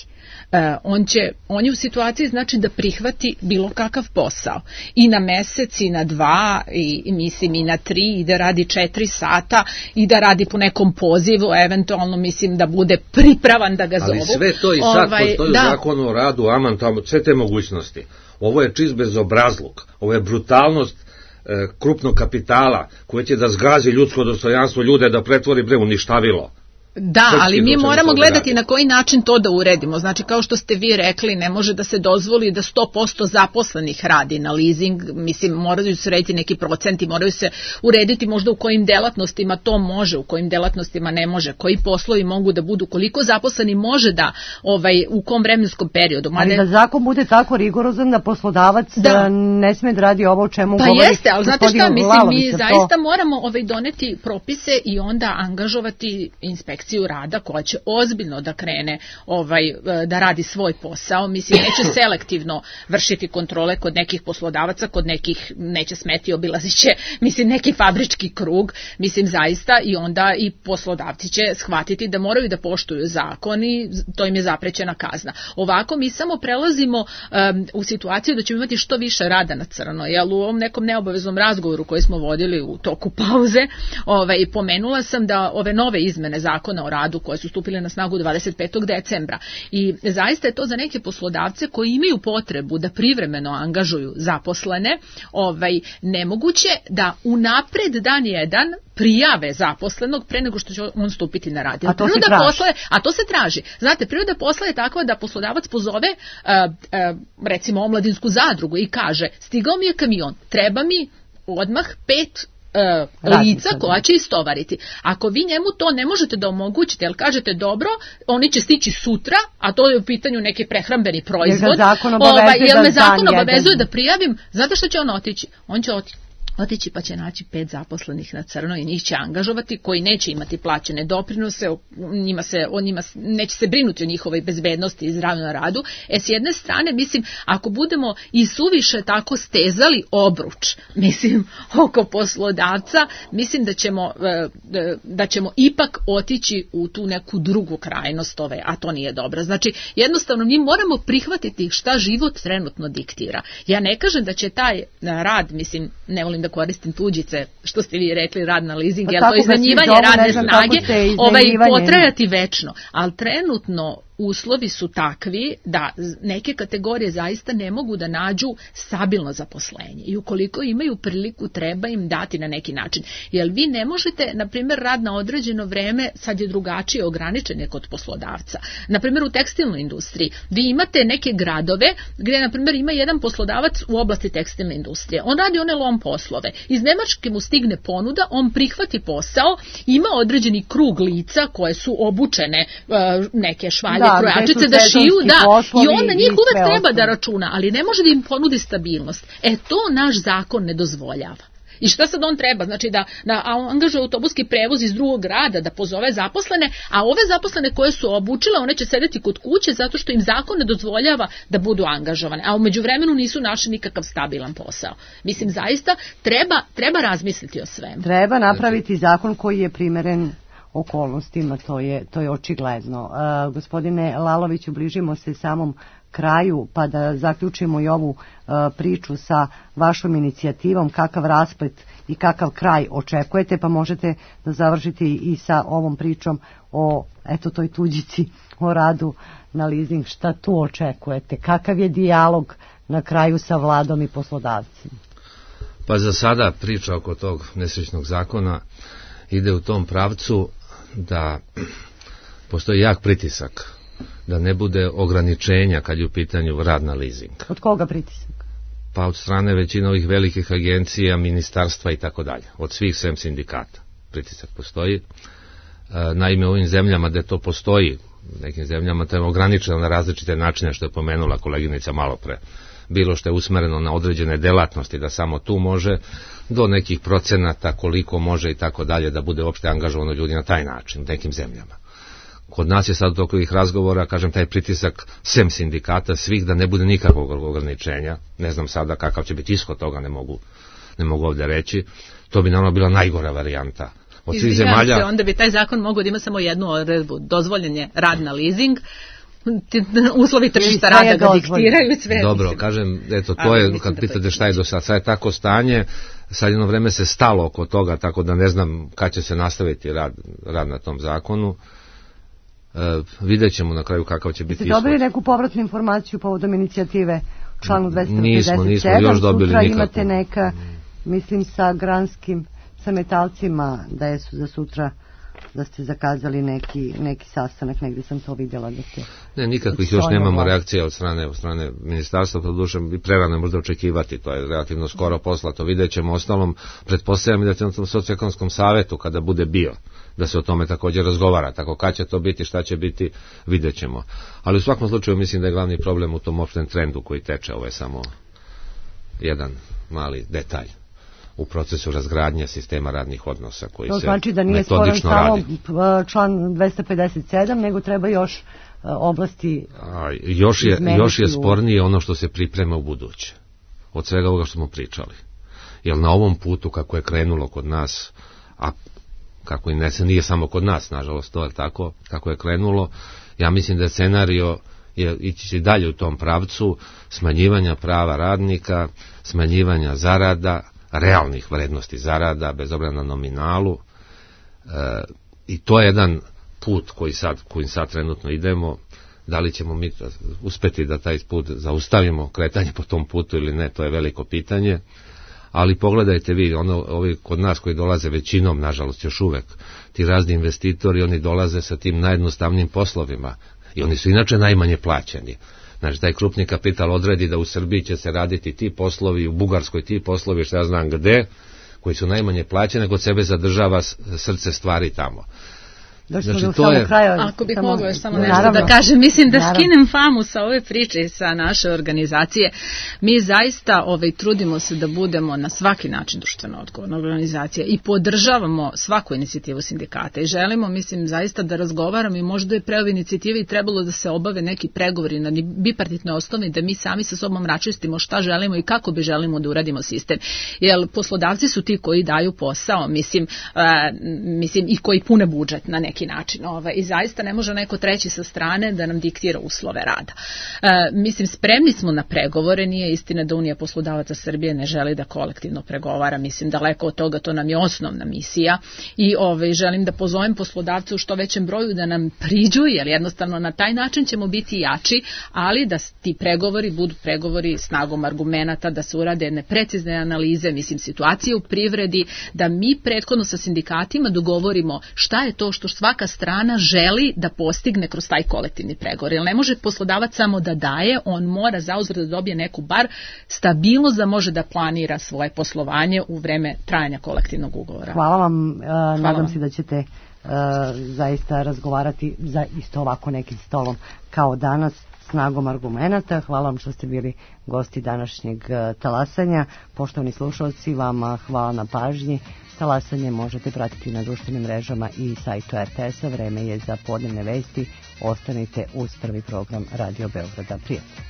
Uh, on, će, on je u situaciji znači da prihvati bilo kakav posao i na mesec i na dva i, i mislim i na tri i da radi četiri sata i da radi po nekom pozivu, eventualno mislim da bude pripravan da ga zovu. Ali sve to i sad ovaj, postoji da. u zakonu o radu, aman tamo, sve te mogućnosti. Ovo je čist bezobrazluk, ovo je brutalnost e, krupnog kapitala koje će da zgazi ljudsko dostojanstvo ljude, da pretvori bre uništavilo. Da, ali mi moramo gledati na koji način to da uredimo. Znači, kao što ste vi rekli, ne može da se dozvoli da sto posto zaposlenih radi na leasing. Mislim, moraju se urediti neki procenti, moraju se urediti možda u kojim delatnostima to može, u kojim delatnostima ne može, koji poslovi mogu da budu, koliko zaposleni može da, ovaj, u kom vremenskom periodu. Ali da zakon bude tako rigorozan da poslodavac da. ne sme da radi ovo o čemu pa govori. Pa jeste, ali znate šta, mislim, Lalović, mi to... zaista moramo ovaj, doneti propise i onda angažovati inspekciju rada koja će ozbiljno da krene ovaj, da radi svoj posao. Mislim, neće selektivno vršiti kontrole kod nekih poslodavaca, kod nekih neće smeti, obilazit će, mislim, neki fabrički krug, mislim, zaista, i onda i poslodavci će shvatiti da moraju da poštuju zakon i to im je zaprećena kazna. Ovako mi samo prelazimo um, u situaciju da ćemo imati što više rada na crno, jel u ovom nekom neobaveznom razgovoru koji smo vodili u toku pauze, ovaj, pomenula sam da ove nove izmene zakona o radu koje su stupile na snagu dvadeset petog decembra i zaista je to za neke poslodavce koji imaju potrebu da privremeno angažuju zaposlene, ovaj, nemoguće da unapred dan jedan prijave zaposlenog pre nego što će on stupiti na rad. A to se traži. Posle, a to se traži. Znate, priroda posla je takva da poslodavac pozove uh, uh, recimo omladinsku zadrugu i kaže, stigao mi je kamion, treba mi odmah pet Uh, lica koja će istovariti. Ako vi njemu to ne možete da omogućite, jer kažete dobro, oni će stići sutra, a to je u pitanju neki prehrambeni proizvod, ovaj, jer me zakon obavezuje da prijavim, znate što će on otići? On će otići otići pa će naći pet zaposlenih na crno i njih će angažovati koji neće imati plaćene doprinose, njima se, on njima neće se brinuti o njihovoj bezbednosti i zdravlju na radu. E s jedne strane, mislim, ako budemo i suviše tako stezali obruč, mislim, oko poslodavca, mislim da ćemo, da ćemo ipak otići u tu neku drugu krajnost ove, a to nije dobro. Znači, jednostavno mi moramo prihvatiti šta život trenutno diktira. Ja ne kažem da će taj rad, mislim, ne volim da koristim tuđice, što ste vi rekli, rad na leasing, pa jer to iznajmljivanje radne snage ovaj, potrajati večno, ali trenutno uslovi su takvi da neke kategorije zaista ne mogu da nađu stabilno zaposlenje i ukoliko imaju priliku treba im dati na neki način. Jer vi ne možete, na primjer, rad na određeno vreme, sad je drugačije ograničen je kod poslodavca. Na primjer, u tekstilnoj industriji vi imate neke gradove gdje, na primjer, ima jedan poslodavac u oblasti tekstilne industrije. On radi one lom poslove. Iz Nemačke mu stigne ponuda, on prihvati posao, ima određeni krug lica koje su obučene, neke švalje, da, krojačice da šiju, da, i on na njih uvek treba da računa, ali ne može da im ponudi stabilnost. E, to naš zakon ne dozvoljava. I šta sad on treba? Znači da, da angažuje autobuski prevoz iz drugog grada, da pozove zaposlene, a ove zaposlene koje su obučile, one će sedeti kod kuće zato što im zakon ne dozvoljava da budu angažovane, a u međuvremenu nisu našli nikakav stabilan posao. Mislim, zaista treba, treba razmisliti o svemu. Treba napraviti zakon koji je primeren okolnostima, to je, to je očigledno. Uh, gospodine Laloviću, bližimo se samom kraju, pa da zaključimo i ovu uh, priču sa vašom inicijativom, kakav rasplet i kakav kraj očekujete, pa možete da završite i sa ovom pričom o, eto, toj tuđici, o radu na leasing. Šta tu očekujete? Kakav je dijalog na kraju sa vladom i poslodavcima? Pa za sada priča oko tog nesrećnog zakona ide u tom pravcu da postoji jak pritisak da ne bude ograničenja kad je u pitanju rad na leasing. Od koga pritisak? Pa od strane većine ovih velikih agencija, ministarstva i tako dalje. Od svih sem sindikata pritisak postoji. Naime, u ovim zemljama gde to postoji, nekim zemljama to je ograničeno na različite načine, što je pomenula koleginica malo pre. Bilo što je usmereno na određene delatnosti, da samo tu može, do nekih procenata koliko može i tako dalje, da bude uopšte angažovano ljudi na taj način u nekim zemljama. Kod nas je sad oko ovih razgovora, kažem, taj pritisak sem sindikata svih, da ne bude nikakvog ograničenja. Ne znam sada kakav će biti ishod toga, ne mogu, ne mogu ovdje reći. To bi naravno bila najgora varijanta. Od svih zemalja... se, onda bi taj zakon mogao da ima samo jednu odredbu, dozvoljen je rad na leasing, uslovi tržišta rada ga diktiraju sve. Dobro, mislim. Kažem, eto, to je, kad pitate šta je do sad, sad je tako stanje, sad jedno vreme se stalo oko toga, tako da ne znam kad će se nastaviti rad, rad na tom zakonu. E, vidjet ćemo na kraju kakav će biti ishod. Ste dobili neku povratnu informaciju povodom inicijative članu dvesta pedeset sedam? Nismo, nismo još dobili Sutra nikakvu. Imate neka, mislim, sa granskim, sa metalcima, da je su za sutra, da ste zakazali neki, neki sastanak, negdje sam to vidjela da ste... Ne, nikakvih još nemamo reakcija od strane, od strane ministarstva, to duše i prerano možda očekivati, to je relativno skoro poslato, vidjet ćemo. Ostalom, pretpostavljam da će na tom socioekonomskom savetu, kada bude bio, da se o tome također razgovara, tako kad će to biti, šta će biti, vidjet ćemo. Ali u svakom slučaju mislim da je glavni problem u tom opštem trendu koji teče, ovo je samo jedan mali detalj u procesu razgradnje sistema radnih odnosa koji se metodično radi. To znači da nije sporan samo član dvesta pedeset sedam, nego treba još oblasti A, još je, još je spornije ono što se priprema u buduće. Od svega ovoga što smo pričali. Jer na ovom putu kako je krenulo kod nas, a kako i ne se nije samo kod nas, nažalost, to je tako, kako je krenulo, ja mislim da je scenario je ići dalje u tom pravcu smanjivanja prava radnika, smanjivanja zarada, realnih vrednosti zarada, bez obzira na nominalu, e, i to je jedan put koji sad, kojim sad trenutno idemo. Da li ćemo mi uspeti da taj put zaustavimo, kretanje po tom putu ili ne, to je veliko pitanje. Ali pogledajte vi, ono, ovi kod nas koji dolaze većinom, nažalost još uvek, ti razni investitori, oni dolaze sa tim najjednostavnijim poslovima i oni su inače najmanje plaćeni. Znači, taj krupni kapital odredi da u Srbiji će se raditi ti poslovi, u Bugarskoj ti poslovi, što ja znam gde, koji su najmanje plaćene, kod sebe zadržava srce stvari tamo. Znači, to je... kraja, Ako bih mogla još samo nešto naravno, da kažem, mislim da naravno. skinem famu sa ove priče i sa naše organizacije. Mi zaista ovaj, trudimo se da budemo na svaki način društveno odgovorna organizacija i podržavamo svaku inicijativu sindikata i želimo, mislim, zaista da razgovaramo i možda je pre ove inicijative i trebalo da se obave neki pregovori na bipartitnoj osnovi, da mi sami sa sobom raščistimo šta želimo i kako bi želimo da uradimo sistem. Jer poslodavci su ti koji daju posao, mislim, uh, mislim i koji pune budžet na neki način. Ovaj, I zaista ne može neko treći sa strane da nam diktira uslove rada. E, mislim, spremni smo na pregovore, nije istina da Unija poslodavaca Srbije ne želi da kolektivno pregovara, mislim, daleko od toga, to nam je osnovna misija i ovaj, želim da pozovem poslodavce u što većem broju da nam priđu, jer jednostavno na taj način ćemo biti jači, ali da ti pregovori budu pregovori snagom argumenata, da se urade jedne precizne analize, mislim, situacije u privredi, da mi prethodno sa sindikatima dogovorimo šta je to što svaka strana želi da postigne kroz taj kolektivni pregovor. Jer ne može poslodavac samo da daje, on mora zauzvrat da dobije neku bar stabilnost da može da planira svoje poslovanje u vreme trajanja kolektivnog ugovora. Hvala vam, uh, Hvala nadam vam. se da ćete uh, zaista razgovarati za isto ovako nekim stolom kao danas, snagom argumenata. Hvala vam što ste bili gosti današnjeg uh, talasanja. Poštovani slušalci, vama hvala na pažnji. Talasanje možete pratiti na društvenim mrežama i sajtu er te es a. Vreme je za podnevne vesti. Ostanite uz prvi program Radio Beograda. Prijatno.